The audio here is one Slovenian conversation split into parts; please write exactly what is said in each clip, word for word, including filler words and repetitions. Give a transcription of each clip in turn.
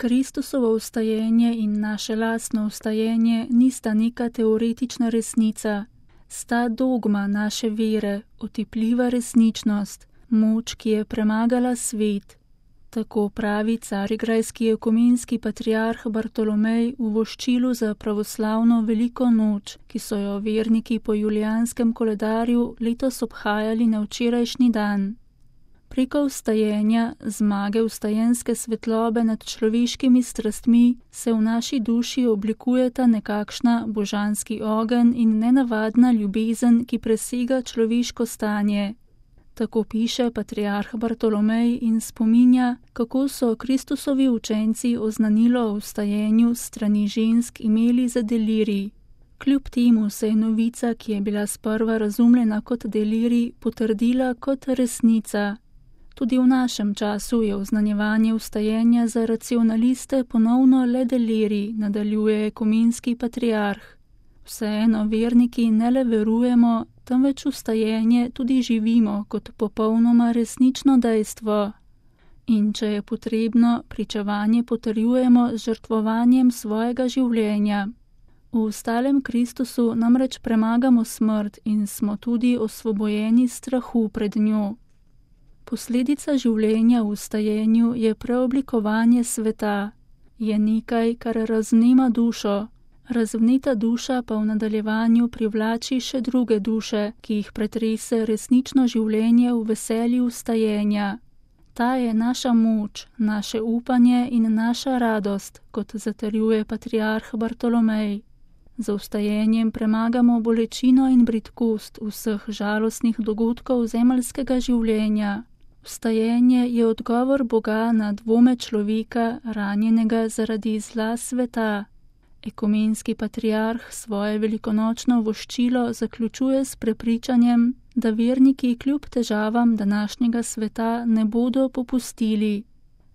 Kristusovo vstajenje in naše lastno vstajenje nista neka teoretična resnica, sta dogma naše vere, otipljiva resničnost, moč, ki je premagala svet. Tako pravi carigrajski ekumenski patriarh Bartolomej v voščilu za pravoslavno veliko noč, ki so jo verniki po julijanskem koledarju letos obhajali na včerajšnji dan. Preko vstajenja, zmage vstajenske svetlobe nad človeškimi strastmi, se v naši duši oblikujeta nekakšna božanski ogenj in nenavadna ljubezen, ki presega človeško stanje. Tako piše patriarh Bartolomej in spominja, kako so Kristusovi učenci oznanilo o vstajenju strani žensk imeli za delirij. Kljub temu se je novica, ki je bila sprva razumljena kot delirij, potrdila kot resnica. Tudi v našem času je oznanjevanje vstajenja za racionaliste ponovno le delirij, nadaljuje ekumenski patriarh. Vseeno verniki ne le verujemo, temveč vstajenje tudi živimo kot popolnoma resnično dejstvo. In če je potrebno, pričevanje potrjujemo z žrtvovanjem svojega življenja. V vstalem Kristusu namreč premagamo smrt in smo tudi osvobojeni strahu pred njo. Posledica življenja v vstajenju je preoblikovanje sveta. Je nekaj, kar razvnema dušo. Razvneta duša pa v nadaljevanju privlači še druge duše, ki jih pretrese resnično življenje v veselju vstajenja. Ta je naša moč, naše upanje in naša radost, kot zatrjuje patriarh Bartolomej. Za vstajenjem premagamo bolečino in bridkost vseh žalostnih dogodkov zemeljskega življenja. Vstajenje je odgovor Boga na dvome človeka, ranjenega zaradi zla sveta. Ekumenski patriarh svoje velikonočno voščilo zaključuje s prepričanjem, da verniki kljub težavam današnjega sveta ne bodo popustili.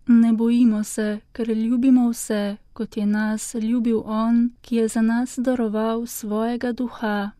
Ne bojimo se, ker ljubimo vse, kot je nas ljubil On, ki je za nas daroval svojega duha.